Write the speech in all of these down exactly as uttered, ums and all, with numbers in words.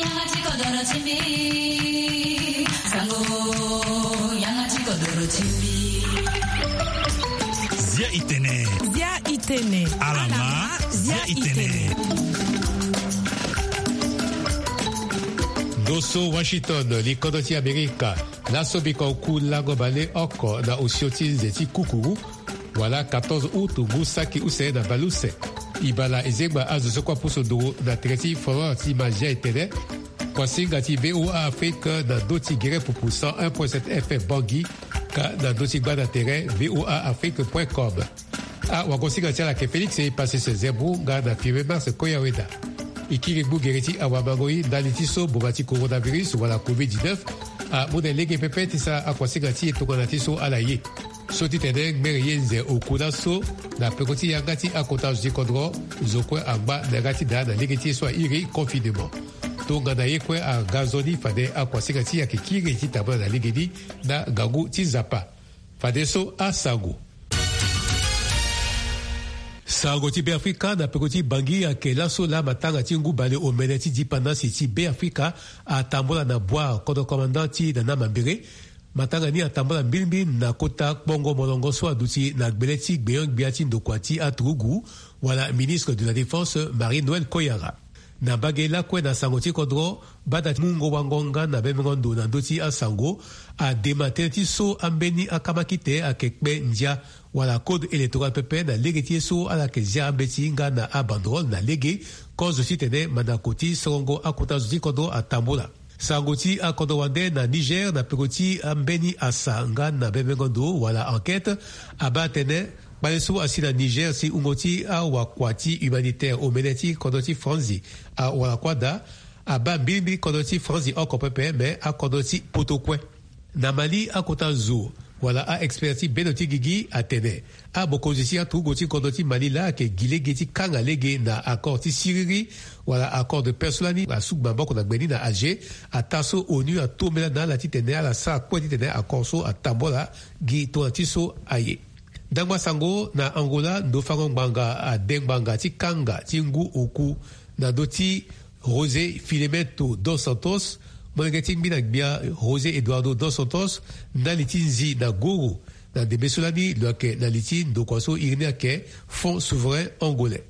Yanga ti kodoro ti mbi. Sango, yanga ti kodoro ti mbi. Zia i tene. Zia i tene. Alama, zia i tene. Ndo so Washington, li kodro ti Amerika. Laso biko oku lango baleoko na osio ti nze ti kukuru, wala quatorze août ngu saki use na baleuse. Ibala ezengba azo so kue apusu nduru na tere ti Florence ti Mazia etene. Kuasinga ti V O A Afrique na ndö ti gere pupu cent un point sept F M Bangui, ka na ndö ti gbanda tere V O A Afrique point com. Awagosinga ti ala ayeke Félix Epasis Zembu nga na Firmin Mars Koyaweda. E kiri gbu gere ti awamangoi ndali ti so mboma ti coronavirus wala covid dix-neuf amu na lege pepe ti sara akuasinga ti e tongana ti so ala ye. So ti tene ngbere ye nze oku laso na peko ti yanga ti akota zo ti kodro, zo kue angba na yanga ti daa na lege ti ye so airi confinement. Tongana ye kue aga nzoni fade akuasinga ti e ayeke kiri ti tambula na legeni na ngangu ti Nzapa. Fadeso asango. Sango ti Beafrika na peko ti Bangui ayeke laso laa matanga ti ngu bale omene ti dipandasi ti Beafrika atambula na bua kodro komanda ti Nana Mambere. Matanga ni atambula mbilimbili na kota kpongo molongo so aduti na gbele ti gbenyo-gbia ti ndokua ti aturugu, wala ministre de la Défense, Marie Noël Koyara. Na mbage lakue na sango ti kodro, bada ti mungo wango nga na bembengo ndo na ndö ti asango, adema tënë ti so ambeni akamakite ayeke kpe ndia, wala code électoral pepe na lege ti ye so ala yeke zia ambeti nga na abanderole na lege, kozo titene mandako ti sorongo akota zo ti kodro atambula. Sango ti akodro wande na Niger na peko ti ambeni asa nga na bembengo ndo wala enquête, abaa atene kpale so asi na Niger si wungo ti awakua ti humanitaire omene ti kodro ti Franzi awara kue daa, abaa mbilimbili kodro ti Franzi oko pepe, me akodro ti poto kue. Na Mali, akota zo wala a-expert ti bendo ti gigi atene abokonzi ti aturugu ti kodro ti Mali laa ayeke gi lege ti kanga lege na accord ti siriri, wala accord de paix so lani asuku maboko na gbe ni na Alger, ataa so ONU atombela na ala titene ala sara kue titene accord so atambula gi tongana ti so aye. Ndangba sango na Angola, ndofango ngbanga ade ngbanga ti kanga ti ngu oku na ndö ti José Filemento dos Santos, molenge ti ngbi na gbia José Eduardo dos Santos, ndali ti nzi na goro, na ndembe so lani lo yeke na li ti ndokua so iri ni ayeke Fonds Souverain Angolais.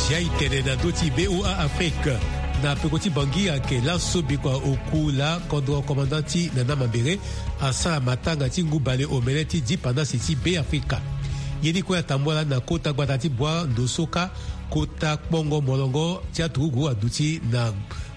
Sia e tene na ndö ti V O A Afrique. Na peko ti Bangui ayeke laso bikua oku laa kodro komanda ti Nana Mambere asara matanga ti ngu bale omene ti dipandasi ti Beafrika. Ye ni kue atambula na kota gbata ti Bua Ndosoka, kota kpongo molongo ti aturugu aduti na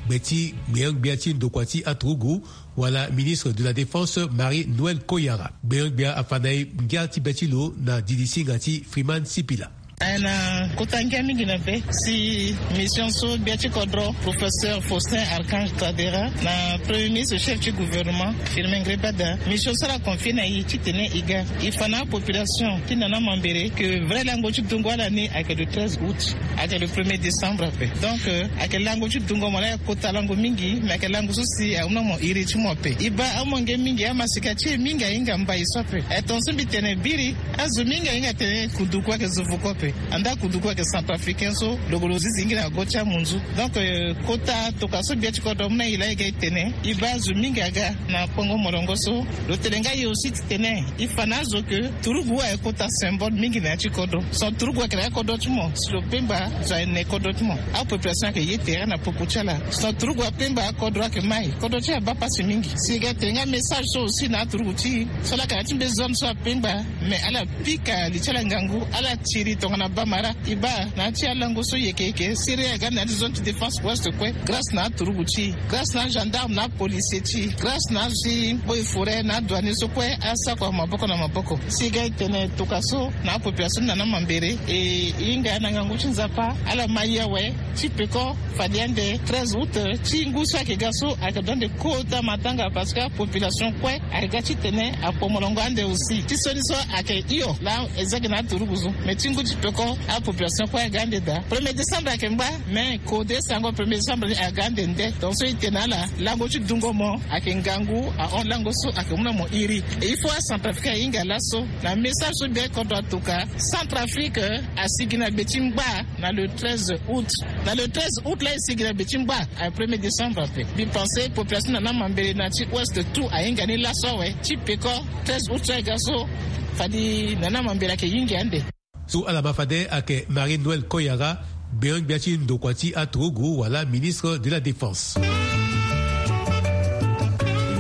gbe ti gbenyo-gbia ti ndokua ti aturugu, wala ministre de la Défense Marie Noël Koyara. Gbenyo-gbia afa na e ngia ti be ti lo na didi singa ti Freeman Sipila. Aye na kota ngia mingi na be si mission so gbia ti kodro, professeur Faustin Archange Touadéra, na premier ministre chef ti gouvernement Firmin Ngrébada, mission so ala confier na e titene e ga e fa na apopulation ti Nana Mambéré que vrai lango ti dungo ala ni ayeke le treize août, ayeke le premier décembre ape. Donc, euh, ayeke lango ti dungo mo laa ayeke kota lango mingi, me ayeke lango so si ahunda mo iri ti mo ape. E baa amolenge mingi, amasika ti e mingi ahinga mbai so ape. E tongaso mbi tene biri, azo mingi ahinga atene kunduku ayeke zo vuku ape. Andaa kunduku ayeke centrafricain so lo gue lo zi zingi na go ti amunzu. Donc, euh, kota tokua so gbia ti kodro amu na e laa e ga e tene, e baa azo mingi aga na kpongo molongo so. Lo tene nga e aussi titene e fa na azo que turugu ayeke kota symbole mingi na ya ti kodro. Son turugu ayeke na ya kodro ti mo, si lo pengba zo aye ne kodro ti mo. Apopulation ayeke ye tere na popo ti ala. Son turugu apengba, akodro ayeke mai, kodro ti e abaa pasi mingi. Si e ga e tene nga message so aussi na aturugu ti e so ala yeke na ya ti mbe zone so apengba, mais ala pika li ti ala ngangu, ala tiri tongana Na bamara e baa na ya ti alango so yeke yeke siri aga na ya ti zone ti défense ouest kue, grâce na aturugu ti e, grâce na agendarme na apolicier ti e, grâce na azi boi forêt na adouanier so kue asako maboko na maboko. Si e ga e tene toka so na apopulation na na mambere e hinga na ngangu ti nzapa ala ma ye awe. Ti peko fade ande treize août ti ngu so ayeke ga so ayeke dua ande kota matanga parce que apopulation kue ayeke ga ti tene akpo molongo ande aussi ti sioni so ayeke hio laa e zege na aturugu so. Mais ti ngu ti peko apopulation kue aga ande daa. Premier décembre ayeke ngba, mais kode sango premier décembre ni aga ande nde. Donc so e tene na ala lango ti dungo mo ayeke ngangu ahon lango so ayeke mu na mo iri. Et il faut acentrafricain ahinga laso na message so bien kodro atoka. Centrafrique asigi na gbe ti ngba na le treize août. Na le treize août laa e sigi na gbe ti ngba. A premier décembre ape mbi pense population na na mambele na ti ouest tout ahinga ni laso awe. Ti peko treize août so ayeke ga so fadi na na mambele ayeke hingi ande. So ala ma fade ayeke Marie Noël Koyara, gbenyo-gbia ti ndokua ti aturugu wala ministre de la défense. E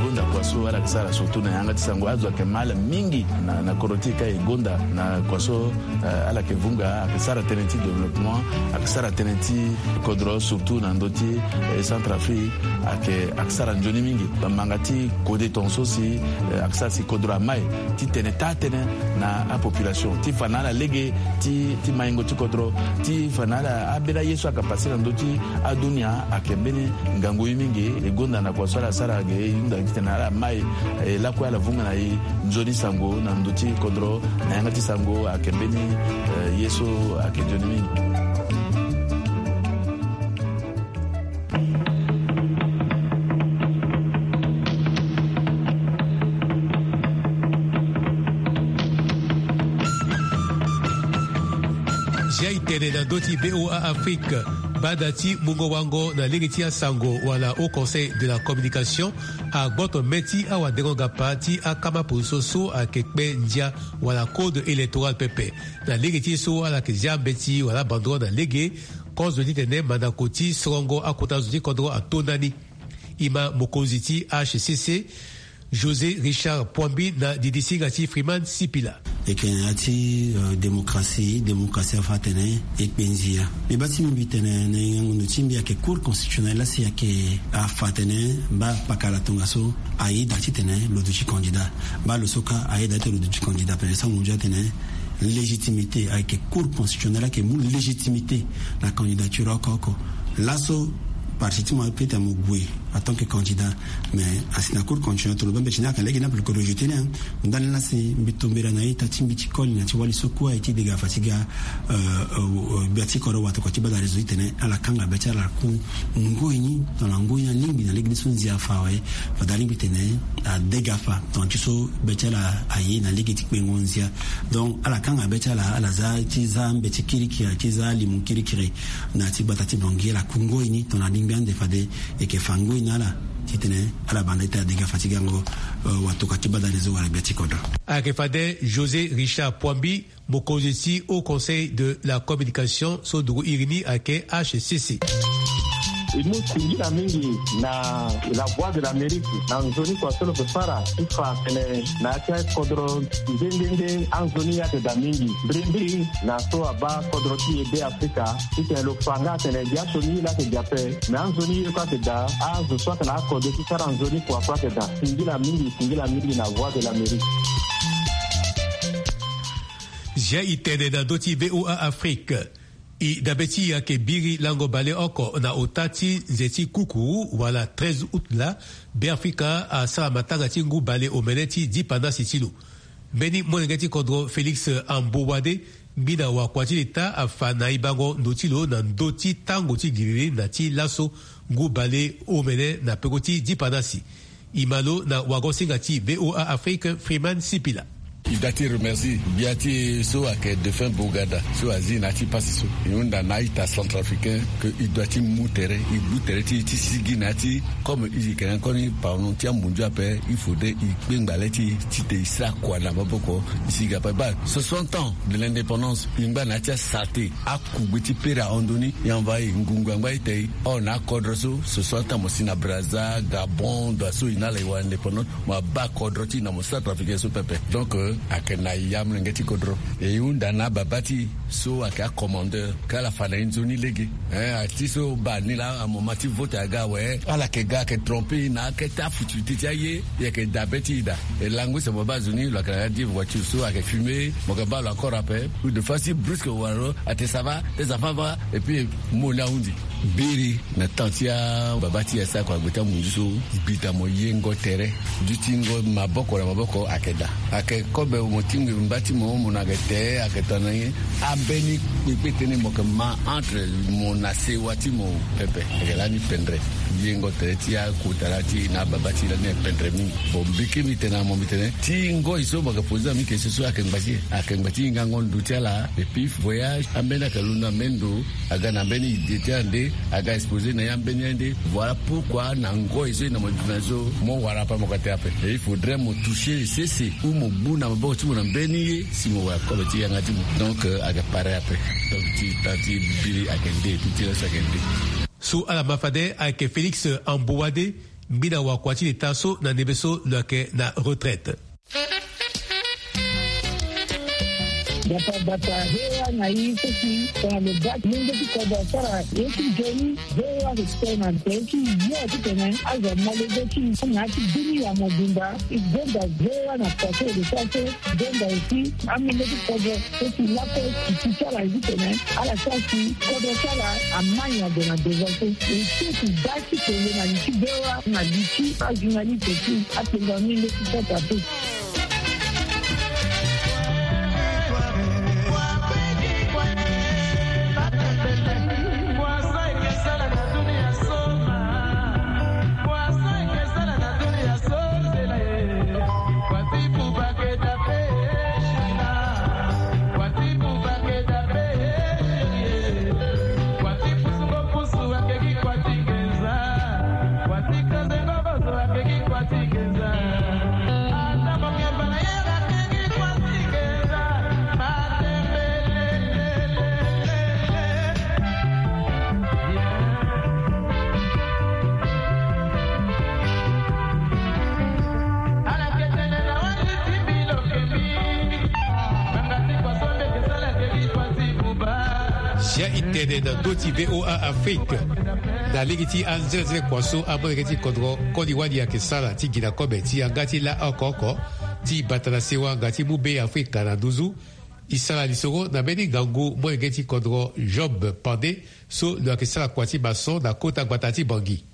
gonda kua so ala yeke sara surtout na yanga ti sango azo ayeke ma ala mingi na, na kodro ti e ka e gonda na kua so, eh, ala yeke vunga ayeke sara tënë ti développement, ayeke sara tënë ti kodro surtout na ndö ti, eh, Centrafrique ayeke, ayeke sara nzoni mingi. Manga ti kode tongaso si, eh, ayeke sara si kodro amai ti tene taa tënë na apopulation ti fa na ala lege ti, ti maingo ti kodro ti fa na ala ambeni aye so ayeke pase na ndö ti adunia ayeke mbeni ngangu ye mingi. E gonda na kua so ala sara ge e hunda gi titene ala mai, eh, lakue ala vunga na e nzoni sango na ndö ti kodro na yanga ti sango ayeke mbeni, eh, ye so ayeke nzoni mingi. Zia e tene na ndö ti VOA Afrique, banda ti mungo wango na lege ti asango wala Haut Conseil de la Communication agboto mê ti awadengo-gapa ti akama poroso so ayeke kpe ndia wala code électoral pepe. Na lege ti so ala yeke zia mbeti wala abandro na lege, kozo titene mandako ti sorongo akota zo ti kodro ato ndani. E ma mokonzi ti H C C, José Richard Poambi na didisinga ti Freeman Sipila. E yeke na ya ti, euh, démocratie, démocratie afa atene e kpe nzia. Mbi baa ti mbi mbi tene na yengo ndo ti mbi ayeke Cour constitutionnelle laa si ayeke afa atene mba pakara tongaso ayeda titene lo duti candidat. Mba lo so kâ ayeda titene lo duti candidat. Pene sango ndia atene légitimité ayeke Cour constitutionnelle ayeke mu légitimité na candidature oko oko. Laso parti ti mo ape tene mo gue en tant que candidat. Mais asi na Cour constitutionnelle tongana lo baa mbeti ni ayeke lege ni ape lo ke rejeté ni, hein. Ndani laa si mbi tombela na ita ti mbi ti koli na ti wali so kue aye ti degafa ti ga, euh, euh, euh, gbia ti kodro watokua ti bada réseau titene ala kanga be ti ala ku ngoi ni tongana ngoi ni alingbi na lege ni so nzia afa awe. Fade alingbi tene adegafa tongana ti so be ti ala aye na lege ti kpengo nzia. Donc ala kanga be ti ala, ala za ti za mbeti kirikiri, ti za limu kirikiri na ya ti gbata ti Bangui, ala ku ngoi ni tongana alingbi ande fade e yeke fa ngoi na ala titene ala banda ti tene adegafa ti gango, euh, watokua ti bada réseau wala gbia ti kodro. Ayeke fade José Richard Poambi, mokonzi ti Haut Conseil de la Communication so duru iri ni ayeke H C C. E mu singila mingi na La Voix de l'Amérique na nzoni kua so lo yeke sara ti fa tene na ya ti akodro nde nde nde anzoni ye ayeke daa mingi. Mbirimbiri na so abaa kodro ti e Be Afrika titene lo fa nga atene gbia sioni ye laa ayeke daa ape, me anzoni ye kue ayeke daa, azo so ayeke na akode ti sara nzoni kua kue ayeke daa. Singila mingi, singila mingi na Voix de l'Amérique. Zia e tene na ndö ti VOA Afrique. E dabe ti e ayeke biri lango baleoko na ota ti nze ti kukuru wala treize août laa Be Afrika asara matanga ti ngu baleomene ti dipandasi ti lo. Mbeni molenge ti kodro Félix Ambowade, ngbina wakua ti leta, afa na e bango ndo ti lo na ndö ti tango ti giriri na ti laso ngu baleomene na peko ti dipandasi. E ma lo na wago-singa ti VOA Afrique, Freeman Sipila. E daa ti remercie gbia ti e so ayeke défunt Bourgada so azi na ya ti pasi so. E hunda na a-ita centrafricain que e doit ti mu tere, e gbu tere ti e ti sigi na ya ti, comme e yeke na koni pardon ti amunzu ape, il faudrait e kpengba le ti e titene e sara kua na maboko e sigi ape. Baa soixante ans de l'indépendance, e ngba na ya ti asara te. Akugbe ti pere ahon ndo ni, e envahir ngungu angba ita e. Or na akodro so, soixante ans mo si na Brazza, Gabon, ndo so e na ala e wara indépendance, mo abaa kodro ti e na mo centrafricain so pepe. Donc, euh, Ayeke na ya molenge ti kodro. E hunda na ababa ti e so ayeke acommandeur. Ka ala fa na e nzoni lege. Eh, ati so baa ni laa amoma ti vote aga awe. Ala yeke ga ayeke trompe e na akete afutufutu ti aye. E yeke dabe ti e daa. E lango use mo baa zo ni lo yeke na ya di voiture so ayeke fume. Mo yeke baa lo encore ape. Ou de fois si brusque wala lo ate ça va, tes enfants va. Et puis mo ni ahundi. Biri na temps ti ababa ti e asara kua gbe ti amunzu so. Gbi daa mo yengo tere. Dutingo maboko na maboko ayeke daa. Ayeke kobe mo ti ngbiri mba ti mo, mo na yeke te, ayeke tongana nyen? Ambeni kpekpe tënë mo yeke ma entre mo na sewa ti mo pepe. Ayeke lani pendre. Yengo tere ti akota laa ti e na ababa ti e lani ayeke pendre mingi. Bon, mbi kiri mbi tene na mo mbi tene ti ngoi so mo yeke poser na mbi question so ayeke ngba ti e. Ayeke ngba ti hingango ndo ti ala. Et puis voyage ambeni ayeke londo na mbeni ndo. Aga na mbeni idée ti ande, aga exposer na ya mbeni ande. Voilà pourquoi na ngoi so e na mo duti na so mo wara ape mo ka te ape. Et il faudrait mo toucher sese ou mo gbu na maboko ti mo na mbeni ye si mo wara kobe ti yanga ti mo. Donc, euh, aga pare ape. Donc ti temps ti biri ayeke nde, ti ti laso ayeke nde. So ala ma fade ayeke Félix Ambouade, ngbina wakua ti leta so na ndembe so lo yeke na retraite. Gbata gbata, V O A na i so si tongana lo baa molenge ti kodro asara ye ti nzoni, V O A ayeke tene na tere ti yo titene azo amolenge ti i na ya ti bini ya mobimba. E gonda V O A na kua so e lo sara so, gonda aussi amolenge ti kodro so si lakue ti ti ti ala ye titene ala sara si kodro ti ala ama nyango na devant so. E so ti baa ti tene na li ti V O A na li ti ajournaliste ti atenda ni leti kota te. Sia e tene na ndö ti V O A Afrique. Na lege ti anzenanzene kua so amolenge ti kodro koli wali ayeke sara ti gi na kobe ti yanga ti laa oko oko ti bata na sewa nga ti mu Be Afrika na nduzu. E sara lisoro na mbeni ngangu molenge ti kodro Job Pande so lo yeke sara kua ti maçon na kota gbata ti Bangui.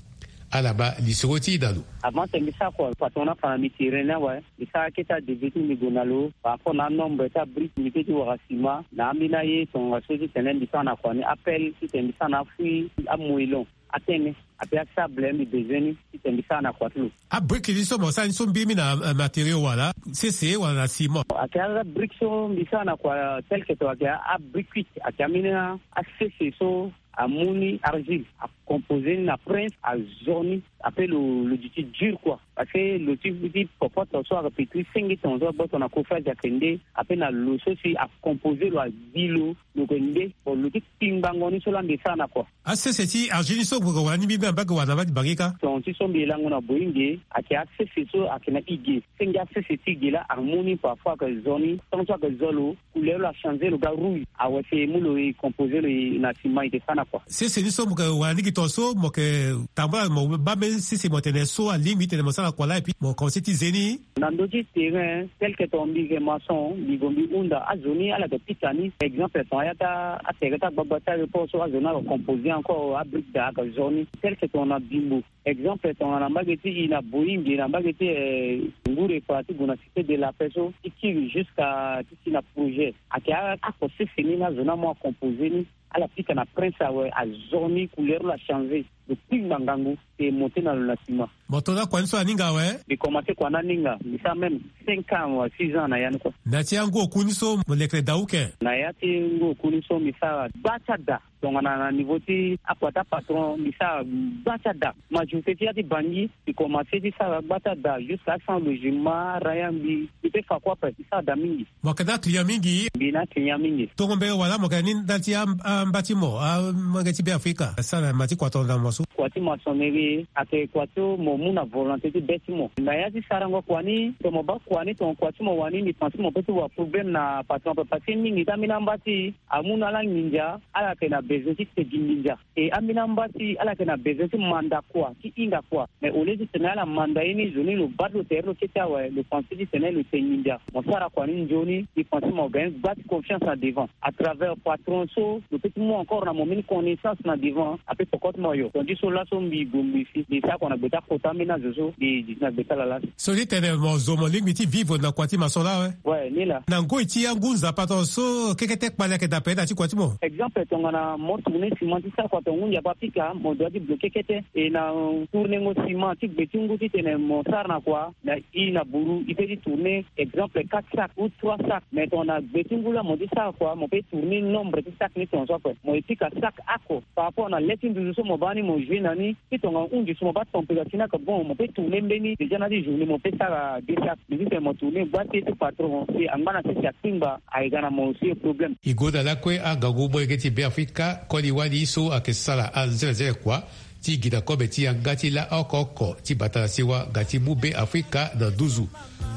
Ala ma lisoro ti e na lo. Avant tene mbi sara kua, patron ni afa na mbi ti ren ni awe. Mbi sara akete adeve ti mbi gue na lo par rapport na anombre ti abrique mbi kue ti wara ciment na ambeni aye tongaso titene mbi sara na kua ni, appel titene mbi sara na afui amoellon, atene ape asable mbi bezoin ni titene mbi sara na kua ti lo. Abrique ni so mo sara ni so mbiri mi na, eh, matériau wala sese wala na ciment? Ayeke abrique so mbi sara na kua tel que ton ayeke abrique cuite, ayeke ambeni asese so amu ni argile, acomposer ni na prince, azo ni, ape lo, lo duti dur quoi. Parce que lo ti, ti popote so ayeke pe ti senge tongaso agboto na chauffage ayeke nde, ape na lo so si acomposer lo, agbi lo, lo yeke nde. Bon, lo ti kpingbango ni so laa mbi sara na kua. Asese ti argile ni so mo yeke wara ni mbiri na mbage wala na mbage ti Bangui kâ? Ton ti so mbi lango na Boyinge, ayeke asese so ayeke na ige. Senge asese ti ige laa amu ni parfois ayeke zo ni, tant so ayeke zo lo, couleur lo achangé lo ga rouge. Awe si e mu lo e composer lo e na ciment e ke sara na kua. Sese ni so mo yeke wara ni gi ton so mo yeke tambula mo baa mbeni sese mo tene so alingbi titene mo sara na kua laa et puis mo commencer ti ze ni. Na ndö ti terrain tel que ton mbi yeke maçon, mbi gue mbi hunda azo ni ala yeke pika ni. Exemple ton aya ti atere ti agbagba ti aéroport so azo ni ayeke composer encore abrique daa ayeke zo ni. Tel que ton na Bimbo. Exemple tongana na mbage ti e na Boyinge na mbage ti, eh, Ngure pa ti gue na Cité de la Paix so ti kiri jusqu'à ti ti na projet. Ayeke a, oko sese ni na azo ni amu acomposer ni, ala pika na prince awe, azo ni couleur lo achangé. Lo kpingba ngangu si e monter na lo na ciment. Mo to na kua ni so aninga awe? Mbi commencer kua ni aninga, mbi sara même cinq ans wala six ans na ya ni kua. Na ya ti angu oku ni so mo lekere daa uke? Na ya ti ngu oku ni so mbi sara gba ti ada. Tongana na niveau ti akua ti apatron mbi sara gba ti ada. Majorité ti ya ti bangi mbi komanse ti sara gba ti ada jusqu'à cent logement, araya mbi mbi pe fa kue ape, mbi sara da mingi. Mo yeke na aclient mingi? Mbi na aclient mingi. Tongo mbege wala mo yeke na ni ndali ti a- a- mba ti mo amolenge ti Be Afrika asara na ma ti kua tongana mo so? Kua ti maçonnerie ayeke kua ti mo mu na volonté ti be ti mo. Na ya ti sarango kua ni, tongana mo baa kua ni, tongana kua ti mo wani, mbi pense mo pe ti wa problème na patron ape, parce que mingi ti ambeni amba ti e amu na ala nginza, ala yeke na besoin ti te gi nginza. E ambeni amba ti e ala yeke na besoin ti manda kua, ti hinga kua. Mais au lieu ti tene ala manda ye ni, zo ni lo baa ti lo tere lo kete awe, lo pense ti tene lo te nginza. Mo sara kua ni nzoni, mbi pense mo gagne gba ti confiance na devant. À travers patron so, lo peut ti mu encore na mo mbeni connaissance na devant, ape poko ti mo yo. Tongana ti so laso mbi gue mbi si, mbi sara kua na gbe ti akota ambeni azo so, mbi zi ti na gbe ti ala laso. So ti tene mo zo mo lingbi ti vivre na kua ti maçon laa awe? Ouais, ni laa. Na ngoi ti angu nzapa tongana so kekete kpale ayeke daa ape na ya ti kua ti mo? Exemple, tongana mo tourner ciment ti sara kua, tongana ngu nzapa apika, mo doit ti bloquer kete. E na, euh, tournengo ciment ti gbe ti ngu ti tene mo sara na kua, na e na buru e peut ti tourner, exemple, quatre sacs ou trois sacs. Mais tongana gbe ti ngu laa mo ti sara kua, mo peut tourner nombre ti sacs ni tongaso ape. Mo e pika sac oko par rapport na le ti nduzu so mo baa ni mo jouer na ni. Ti tongana hunzi so mo baa température ni ayeke bon, mo peut tourner mbeni. Déjà na ya ti journée mo peut sara deux sacs. Mais si tene mo tourner gba ti e ti patron si angba na sese atingba, ayeke ga na mo aussi problème. E gue na lakue angangu molenge ti Be Afrika, koli wali so ayeke sara anzelenzele kua ti gi na kobe ti yanga ti laa oko oko ti bata na sewa nga ti mu Be Afrika na nduzu.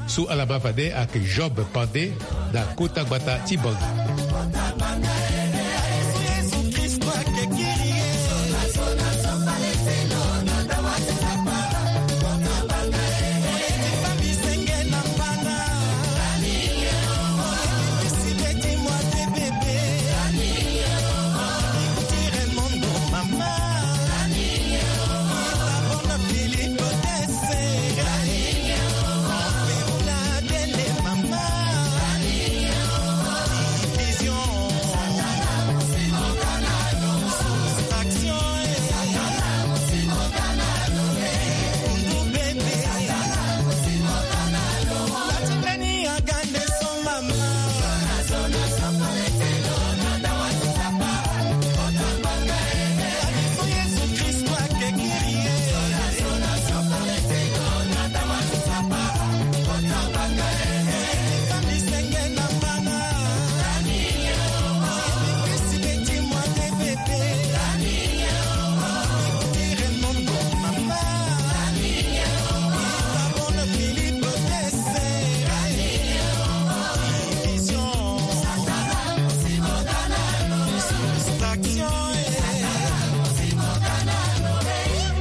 So ala ma fade ayeke Job Pandé na kota gbata ti Bangui.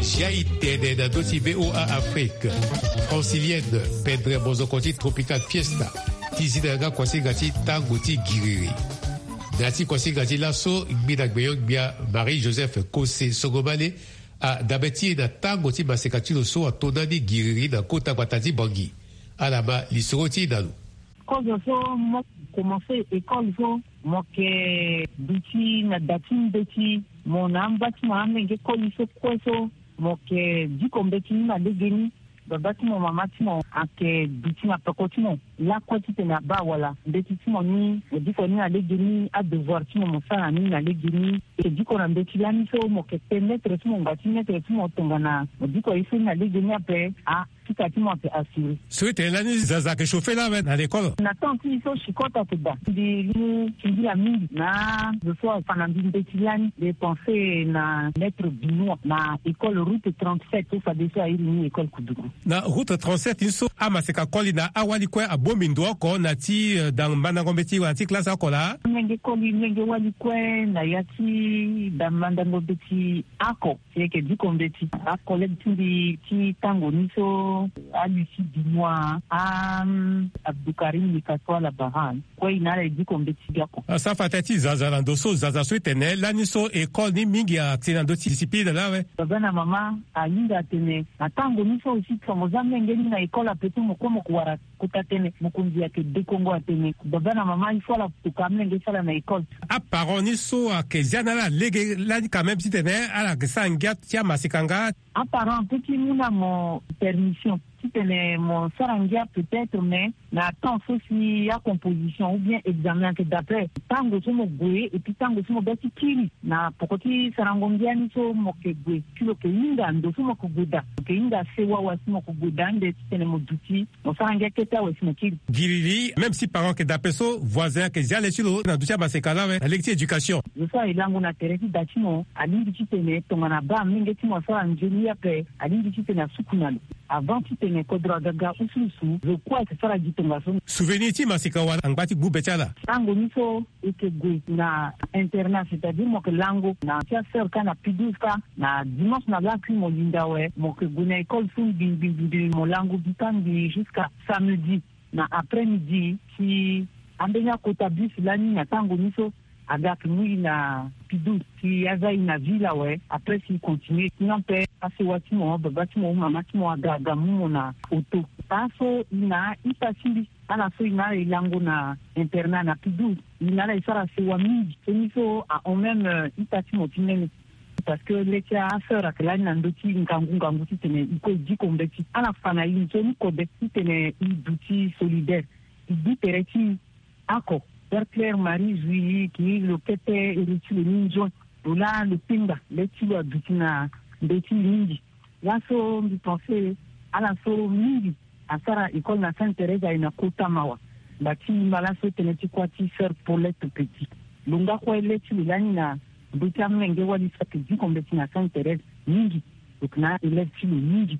Zia e tene na ndö ti V O A Afrique. Francilienne pendre mozoko ti Tropical Fiesta ti zi na yanga kuasinga ti tango ti giriri. Na ya ti kuasinga ti laso, ngbina gbenyo-gbia Marie Joseph Kose Songomale adabe ti e na tango ti maseka ti lo so ato ndani giriri na kota gbata ti Bangui. Ala ma lisoro ti e na lo. Kozo so mo komanse école so, mo yeke duti na da ti mbeti. Mo na amba ti mo amenge koli so kue so, mo yeke diko mbeti ni na legeni. Baba ti mo, mama ti mo ayeke duti na peko ti mo lakue titene abaa wala. Mbeti ti mo ni, mo diko ni na legeni. Adevoir ti mo, mo sara na ni na legeni. E diko na mbeti lani so, mo yeke te maître ti mo, ngba ti maître ti mo tongana mo diko ye so ni na legeni ape, a pika ti mo ayeke assuré. So e tene lani zaza ayeke chauffer laa awe na l'école? Na temps ti e so chicot ayeke daa. Mbi mu singila mingi na zo so afa na mbi mbeti lani. Mbi pense na maître Binois na école route trente-sept so fadeso a iri ni école Koudougou. Na route trente-sept ni so, amaseka koli na awali kue abongbi ndo oko na ya ti, eh, da mandango mbeti wala ti classe oko laa? Molenge koli, molenge wali kue na ya ti da mandango mbeti oko. Si e yeke diko mbeti, acollègue ti mbi ti tango ni so, a Lucie Binois, a, mm, Abdoukarim Likassoua Labaran, kue e na ala e diko mbeti biako. Asa fa tënë ti zaza na ndo so, zaza so e tene lani so école ni mingi ayeke na ndö ti discipline laa awe. Baba na mama ahinga atene na tango ni so aussi, tongana mo za molenge ni na école ape so, mo kue mo ko wara kota tënë, mokonzi ayeke dekongo atene baba na mama il faut ala toka amolenge ti ala na école. Aparent ni so ayeke zia na ala lege lani quand même titene ala yeke sara ngia ti amaseka nga. Aparent apeut ti mu na mo permission Titene mo sara ngia peut-être, mais na temps so si acomposition ou bien examen ayeke daa ape, tango so mo gue et puis tango so mo bê ti kiri na poko ti sarango ngia ni so mo yeke gue, si lo yeke hinga ndo so mo yeke gue daa, lo yeke hinga sewa awe si mo yeke gue daa ande titene mo duti mo sara ngia kete awe si mo kiri. Giriri, même si parent ayeke daa ape so voisin ayeke zia le ti lo na duti amaseka laa awe na lege ti éducation. Zo so aye lango na tere ti da ti mo alingbi titene tongana abaa molenge ti mo asara nzoni ape, alingbi titene asuku na lo avant titene kodro aga ga usuusu. Zo kue ayeke sara gi tongaso. Souvenir ti maseka wala angba ti gbu be ti ala. Tango ni so e yeke gue na internat, c'est-à-dire mo yeke lango na ti asœur kâ na P douze kâ, na dimanche na lakui mo linda awe mo yeke gue na école so ngbi ngbi ngbi mo lango gi kâ ngbi jusqu'à samedi na après-midi. Si ambeni akota bus lani na tango ni so aga ake mu i na P douze si aza i na ville awe, après si i continue. Sinon ape asewa ti mo, ababa ti mo, mama ti mo aga aga mu mo na auto. Aso i na ita ti mbi, ala so i na ala e lango na internat na P douze, i na ala e sara sewa mingi. Seni so ahon même ita ti mo ti nene. Parce que le ti asœur ayeke lani na ndö ti ngangu ngangu titene i kue i diko mbeti. Ala fa na i nzoni kode titene i duti solidaire, i gbu tere ti i. Ako, Père Claire Marie Zui, ki lo kete ere ti lo ni nzoni. Lo laa lo pengba le ti lo aduti na ndö ti lo mingi. Laso mbi pense ala so mingi asara école na Sainte Thérèse aye na kota mawa. Ngba ti mba laso tënë ti kuâ ti sœur Paulette Petit. Lo nga kue le ti lo lani na ndö ti amolenge wali so ayeke diko mbeti na Sainte Thérèse mingi. Lo yeke na élève ti lo mingi.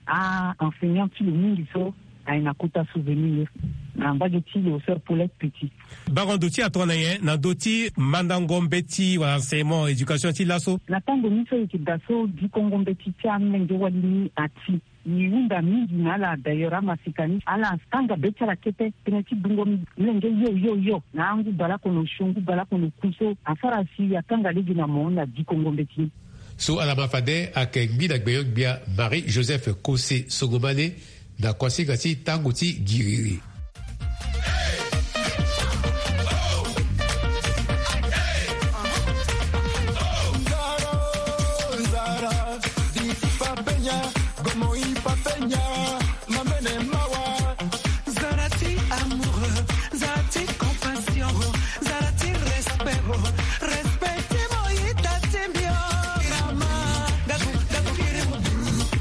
A enseignant ti lo mingi so aye na kota souvenir na mbage ti lo sœur Paulette Petit. Bango ndo ti atongana nyen na ndö ti mandango mbeti wala enseignement éducation ti laso? Na tango ni so e yeke daa so dikongo mbeti ti amolenge wali ni ati, e hunda mingi na ala. D'ailleurs amaseka ni ala tanga be ti ala kete tënë ti dungo molenge yo yo yo na angu baleoko na osio, ngu baleoko na oku so asara si atanga lege na mo na dikongo mbeti ni. So ala ma fade ayeke ngbi na gbenyo-gbia Marie Joseph Kose Songomane na kuasinga ti tango ti giriri. Zala ti amoureux, zala ti compassion, zala ti respect, respect ti mo ita ti mbi o. Mama, gaku, gaku kiri mo,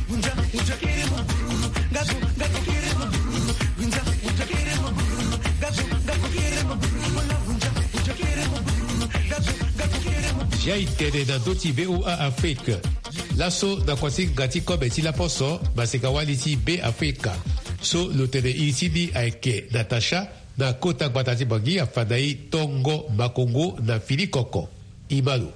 gunja, gunja kiri mo, gaku, gaku kiri mo, gunja, gunja kiri mo, gaku, gaku kiri mo, gunja, gunja kiri mo, gaku, gaku kiri mo. Zia e tene na ndö ti V O A Afrique. Laso na kuasinga ti kobe ti laposo, maseka wali ti Be Afrika so lo tene iri ti ni ayeke Natacha, na kota gbata ti Bangui afa na e tongo makongo na fini koko. E ma lo.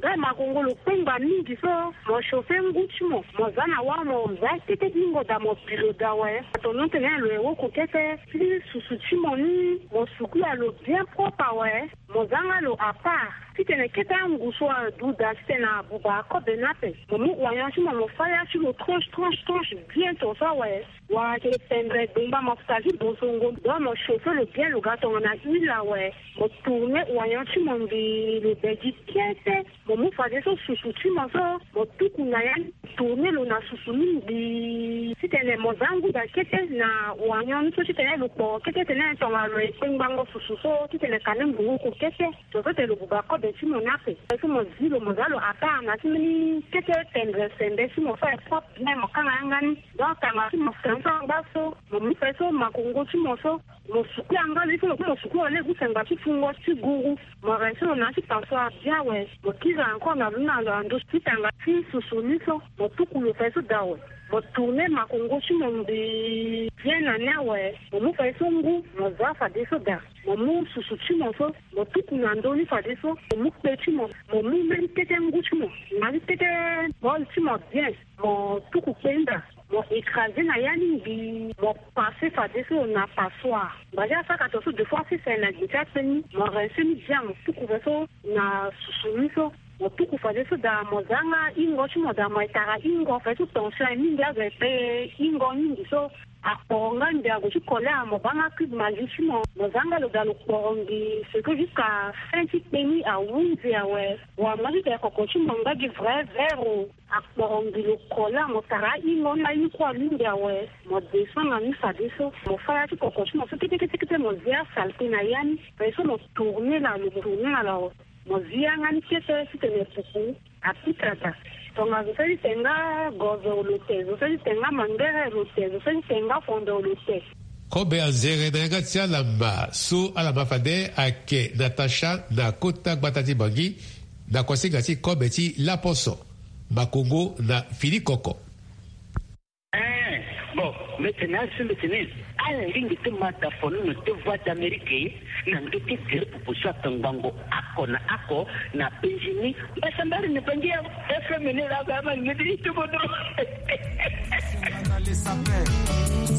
Nga makongo lo kpengba mingi so, mo chauffer ngu ti mo, mo za na wâ mo za kete hingo daa mo bi lo daa awe. Ato non tene lo ye woko kete, ti susu ti mo ni mo sukula lo bien propre awe. Mo za nga lo à part. Titene kete angu so aduda titene abuba akobe ni ape. Mo mu oignon ti mo, mo fâ ya ti lo tranche, tranche, tranche bien ton so awe. Wala ayeke pendre gbengba mafuta ti bosongo. Donc mo chauffer lo bien, lo ga tongana huile awe. Mo tourner oignon ti mo mbi lo bedi bien te. Mo mu fadeso susu ti mo so, mo tuku na ya ni, tourner lo na susu ni mbi. Titene mo za ngu daa kete na oignon ni so titene lo kporo kete tene tongana lo ye kpengbango susu so, titene ka ni mbi woko kete. Zo so tene lo buba kobe ti mo ni ape. So mo zi lo, mo za lo à part na ti mbeni kete pendre sembe ti mo so aye propre bien, mo kanga yanga ni. Donc tanga ti mo futa ni so angba so, mo mu fadeso makongo ti mo so, mo suku yanga lo, il faut mo suku lo lege ti sengba ti fungo ti guru. Mo rincer lo na ya ti passoire bien awe. Mo kiri encore na lo ni na lo na ndö ti tanga ti susu ni so, mo tuku lo fadeso daa awe. Mo tourner makongo ti mo mbi bien na ni awe. Mo mu fadeso ngu, mo za fadeso daa. Mo mu susu ti mo so, mo tuku na ndö ni fadeso. Mo mu kpe ti mo, mo mu même kete ngu ti mo, na ni kete bol ti mo bien. Mo tuku kpe ni daa, mo écraser na ya ni mbi, mo passer fadeso na passoire. Mbazi asaka to so deux fois six na gbe ti akpe ni, mo rincer ni bien, mo tuku fadeso na susu ni so. Mo tuku fadeso daa, mo za nga hingo ti mo daa, mo ye tara hingo fadeso, tension aye mingi azo aye kpe hingo mingi so. Akporo nga ndia go ti kole amo banga cube magie ti mo. Mo zanga lo da lo kporo ngi. C'est que jusqu'à fin ti kpeni ahunzi awe. Wa mo ti tene koko ti mo nga gi vrai vero. Akporo ngi lo kole amo tara ahingo na ahingo alingbi awe. Mo descend na ni fadeso. Mo faya ti koko ti mo so kete kete kete mo zia saleté na ya ni. Pe so mo tourner na lo mo tourner na lo. Mo zi yanga ni kete ti tene puku. Apikata. Tonga zo seli tenga gozo lo te, zo seli tenga mangere lo te, zo seli tenga fondo lo te. Kobe anzere na yanga ti alama so alama fade ake Natacha na kota gbata ti Bangi, na kosinga ti kobe ti laposo, makongo na fini koko. Eh, bon, mete na asu mete ni. Ala lingi ti mata fono no te Voix d'Amérique na ndo ti tere pupu so atongbango ako na ako na penzi ni. Basambari ni bangi ya F M ni la ga ma ni di tu bodo.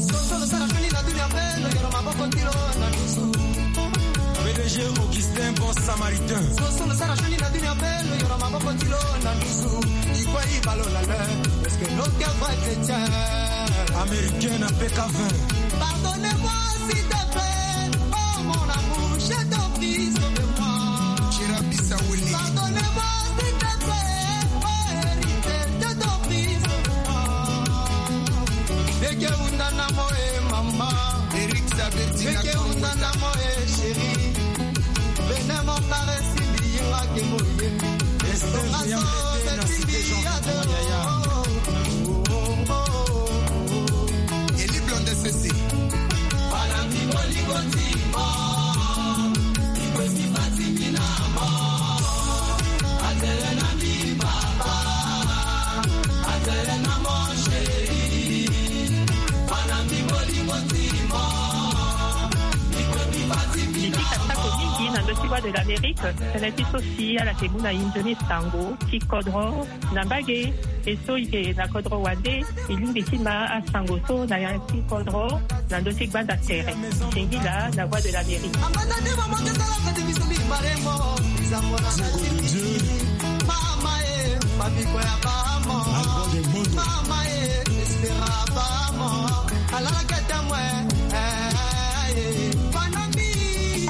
Soso lo sara fini na dunia pe lo yoro maboko ti lo na dusu. P D G Augustin, bon samaritain. Soso lo sara fini na dunia pe lo yoro maboko ti lo na dusu. Ikwe ibalo la le. Est-ce que nos cœurs vrais chrétiens? Américain na P K vingt. Pardonnez-moi, s'il te plaît. Oh, mon amour, je t'en prie, sauve-moi. Chirapi Saouli. Pardonnez-moi, s'il te plaît. Oh, héritier, je t'en prie, sauve-moi. Beke unda na mo, eh, maman. Eric Sabeti. Beke unda na mo, eh, chérie. Bene mo caresse, mbi yinga ke mo ye. Esther Yamete na Cité Jean Yaya. Eli Blonde Sese. Bana mi bolingo ti mo. Ikwe mi fati mi na mo. Atele na mi papa. Atele na mo chéri. Bana mi bolingo ti mo. Ikwe mi fati mi na mo. Tata ko mingi na ndo ti Voix de l'Amérique. Tene ti so si ala ke mu na inzo ni sango ti kodro na mbage. E so e ke na kodro wande, e lingbi ti ma asango so na ya ti kodro na ndo ti gbanda tere. Singila na Voix de l'Amérique.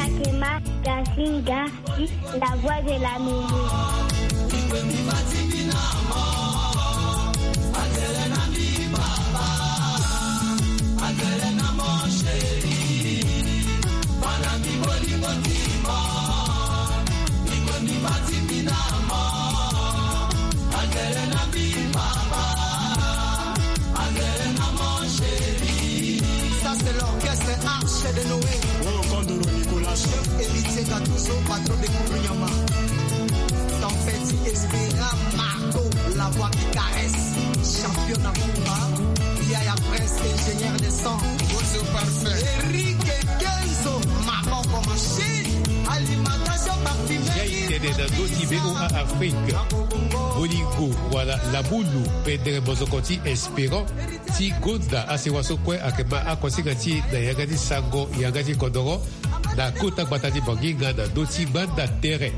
Sakima. La Voix de l'Amérique. Ça, c'est l'orchestre Arche de Noé. Oh, Kondoro Nicolas. Chef Héritier Gattuso, patron de Kourounyama. Tempête Espera Marco, la voix qui caresse. Champion na Kumba. Yaya Prince, ingénieur de son. Bozo Parfait. Eric Kenzo, Maboko Machine. Alimentation parfumée. Yai tene na ndo ti V O A Afrique. Bolingo, wala labulu, pendere mozoko ti Espérant. Ti gonda asewa so kue ayeke ma akosinga ti e na yanga ti sango yanga ti kodoro na kota gbata ti Bangi nga na ndö ti gbanda tere.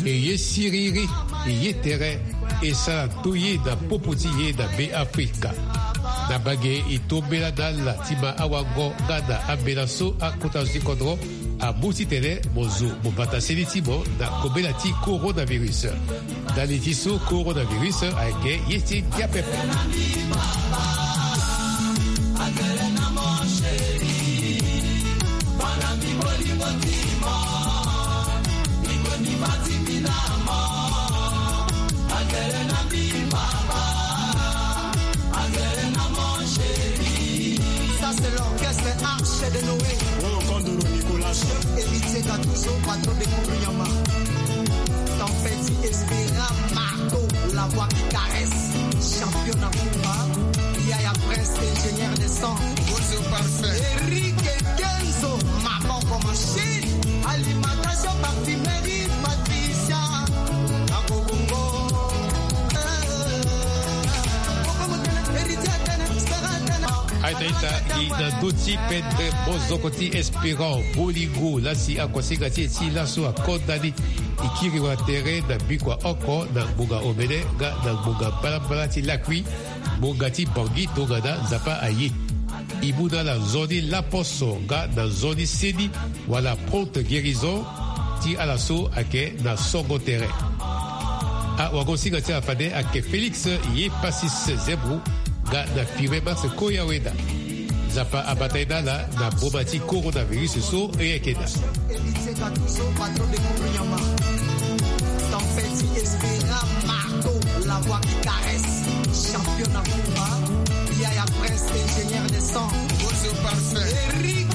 E ye siriri, e ye tere, e sara nto ye na popo ti ye na Be Afrika. Na mbage e to mbela na ala ti ma awango nga na ambela so akota zo ti kodoro amu titene mo zo mo bata seni ti mo na kobela ti coronavirus. Ndali ti so coronavirus ayeke ye ti ngia pepe. Ça, c'est l'orchestre Arche de Noé. Oh, Kondoro Nicolas. Chef Héritier Gattuso, patron de Kourounyama. Tempête Espera Marco, la voix qui caresse. Champion na Kumba. Yaya Prince, ingénieur de son. Bozo Parfait. Eric Kenzo, Maboko Machine. Alimentation parfumerie Patricia. Nakobongo. Héritier Tene, Stera Tene. Aita ita, i na ndö ti pendre mozoko ti Espérant Bolingo, lasi akosinga ti e ti laso akonda ni. E kiri wa tere na bikua oko na ngbonga omene nga na ngbonga mbalambala ti lakui, ngbonga ti Bangui tongana Nzapa aye. E mu na ala nzoni laposo nga na nzoni seni wala prompte guérison ti ala so ayeke na songo tere. Awagosinga ti ala fade ayeke Félix Yepasis Zebro nga na Firmin Max Koyaweda. Nzapa abata ye na ala na boma ti coronavirus so e yeke daa. Héritier Gattuso, patron de Kourounyama. Tempête Espera Marco, la voix qui caresse. Champion Nakouma, Yaya Prince, ingénieur de son. Bonjour, parfait. Eric